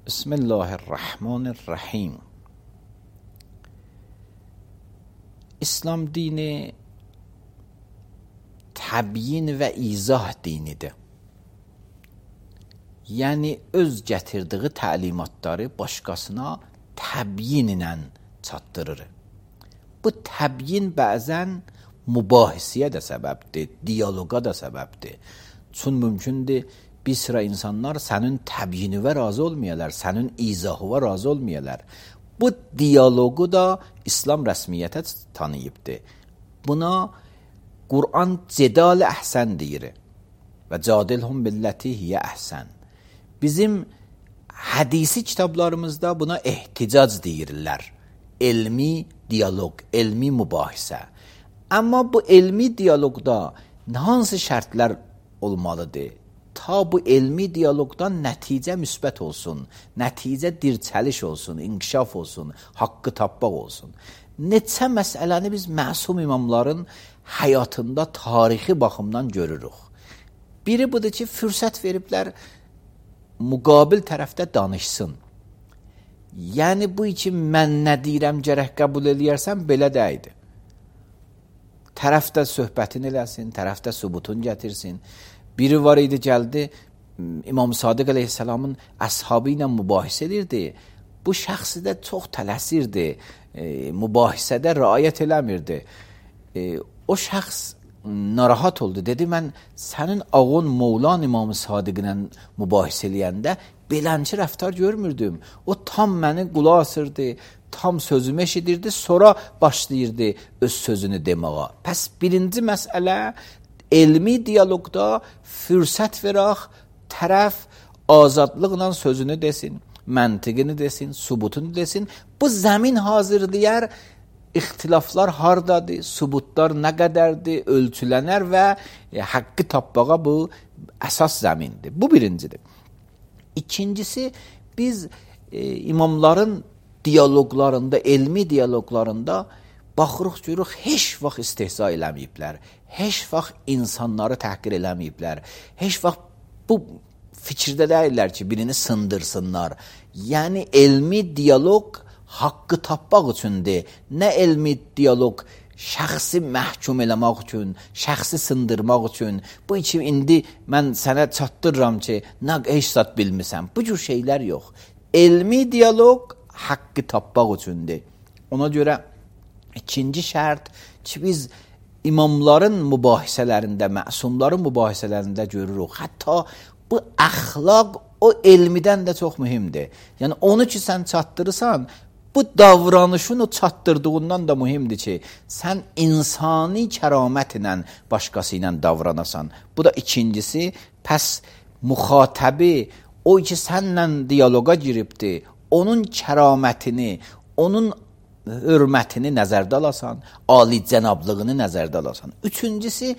Bismillahirrahmanirrahim. İslam dini təbyin və izah dinidir. Yəni öz gətirdiyi təlimatları başqasına təbyin ilə çatdırır. Bu təbyin bəzən mübahisəyə də səbəbdir, diyaloqa da səbəbdir. Çün mümkündür bir sıra insanlar sənin təbyinivə razı olmayalar, sənin izahına razı olmayalar. Bu diyaloqu da İslam rəsmiyyətə tanıyıbdır. Buna Qur'an cedal əhsən deyir və cadilhum billəti hiyə əhsən. Bizim hədisi kitablarımızda buna ehticac deyirlər. Elmi diyaloq, elmi mübahisə. Amma bu elmi diyaloqda hansı şərtlər olmalıdır? Ta bu elmi diyaloqdan nəticə müsbət olsun, nəticə dirçəliş olsun, inkişaf olsun, haqqı tapmaq olsun. Neçə məsələni biz məsum imamların həyatında tarixi baxımdan görürük. Biri budur ki, fürsət veriblər, müqabil tərəfdə danışsın. Yəni bu için mən nə deyirəm gərək qəbul eləyərsən, belə deyildi. Tərəfdə söhbətin eləsin, tərəfdə sübutun gətirsin. Biri var idi, gəldi, İmam Sadiq əleyhissalamın əshabı ilə mübahisə edirdi. Bu şəxsi də çox tələsirdi, mübahisədə riayət eləmirdi. O şəxs narahat oldu, dedi, mən sənin ağın Mevlan İmam Sadiq ilə mübahisə eləyəndə belənçi rəftar görmürdüm. O tam məni qulaq asırdı, tam sözümü eşidirdi, sonra başlayırdı öz sözünü deməyə. Pəs birinci məsələ, elmi diyaloqda fürsət verək, tərəf azadlıqla sözünü desin, məntiqini desin, sübutunu desin. Bu zəmin hazırlayar, ixtilaflar hardadır, sübutlar nə qədərdir, ölçülənər və haqqı tapmağa bu əsas zəmindir. Bu birincidir. İkincisi, biz imamların diyaloqlarında, elmi diyaloqlarında baxırıq, görürük, heç vaxt istehza eləməyiblər, heç vaxt insanları təhqir eləməyiblər, heç vaxt bu fikirdə deyirlər ki, birini sındırsınlar. Yəni, elmi diyaloq haqqı tapmaq üçündür. Nə elmi diyaloq şəxsi məhkum eləmək üçün, şəxsi sındırmaq üçün. Bu için indi mən sənə çatdırıram ki, nə heç zat bilmirsən. Bu cür şeylər yox. Elmi diyaloq haqqı tapmaq üçündür. Ona görə ikinci şərt ki, biz imamların mübahisələrində, məsumların mübahisələrində görürük. Hətta bu əxlaq o elmidən də çox mühimdir. Yəni onu ki, sən çatdırırsan, bu davranışın o çatdırdığından da mühimdir ki, sən insani kəramət ilə başqası ilə davranasan. Bu da ikincisi, pəs müxatəbi, o ki, sənlə diyaloqa giribdir, onun kəramətini, onun hörmətini nəzərdə alasan, alicənablığını nəzərdə alasan. Üçüncüsü,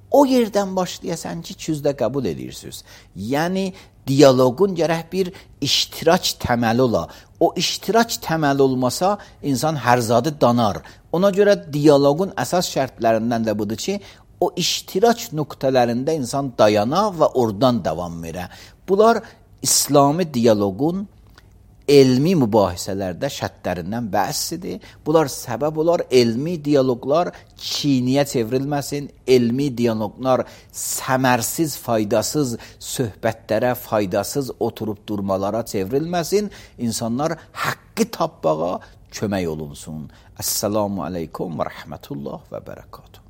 o yerdən başlayasan ki, küzdə qəbul edirsiniz. Yəni, diyaloqun gərək bir iştirak təməli ola. O iştirak təməli olmasa, insan hər zadı danar. Ona görə diyaloqun əsas şərtlərindən də budur ki, o iştirak nöqtələrində insan dayana və oradan davam verə. Bunlar İslami diyaloqun elmi mübahisələrdə şərtlərindən bəhsidir. Bunlar səbəb olar, elmi diyaloqlar çiniyə çevrilməsin, elmi diyaloqlar səmərsiz, faydasız söhbətlərə, faydasız oturub durmalara çevrilməsin. İnsanlar haqqı tapmağa kömək olunsun. Əssalamu aleykum və rəhmətullah və bərəkatuhu.